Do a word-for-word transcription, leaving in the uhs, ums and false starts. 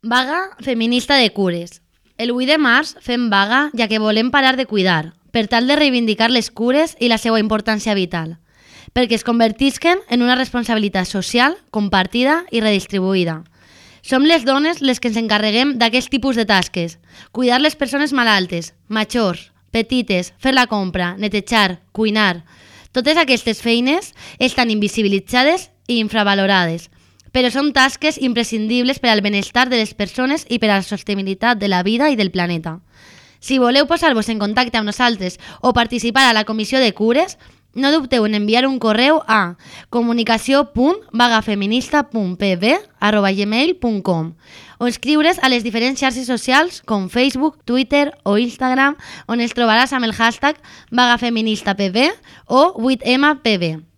Vaga feminista de cures. El vuit de març fem vaga ja que volem parar de cuidar, per tal de reivindicar les cures i la seva importància vital, perquè es convertisquen en una responsabilitat social, compartida i redistribuïda. Som les dones les que ens encarreguem d'aquest tipus de tasques, cuidar les persones malaltes, majors, petites, fer la compra, netejar, cuinar. Totes aquestes feines estan invisibilitzades i infravalorades, però són tasques imprescindibles per al benestar de les persones i per a la sostenibilitat de la vida i del planeta. Si voleu posar-vos en contacte amb nosaltres o participar a la comissió de cures, no dubteu en enviar un correu a comunicació punt vagafeminista punt p b arroba gmail punt com o escriure's a les diferents xarxes socials com Facebook, Twitter o Instagram, on els trobaràs amb el hashtag vagafeministapb o vuit ema pe be.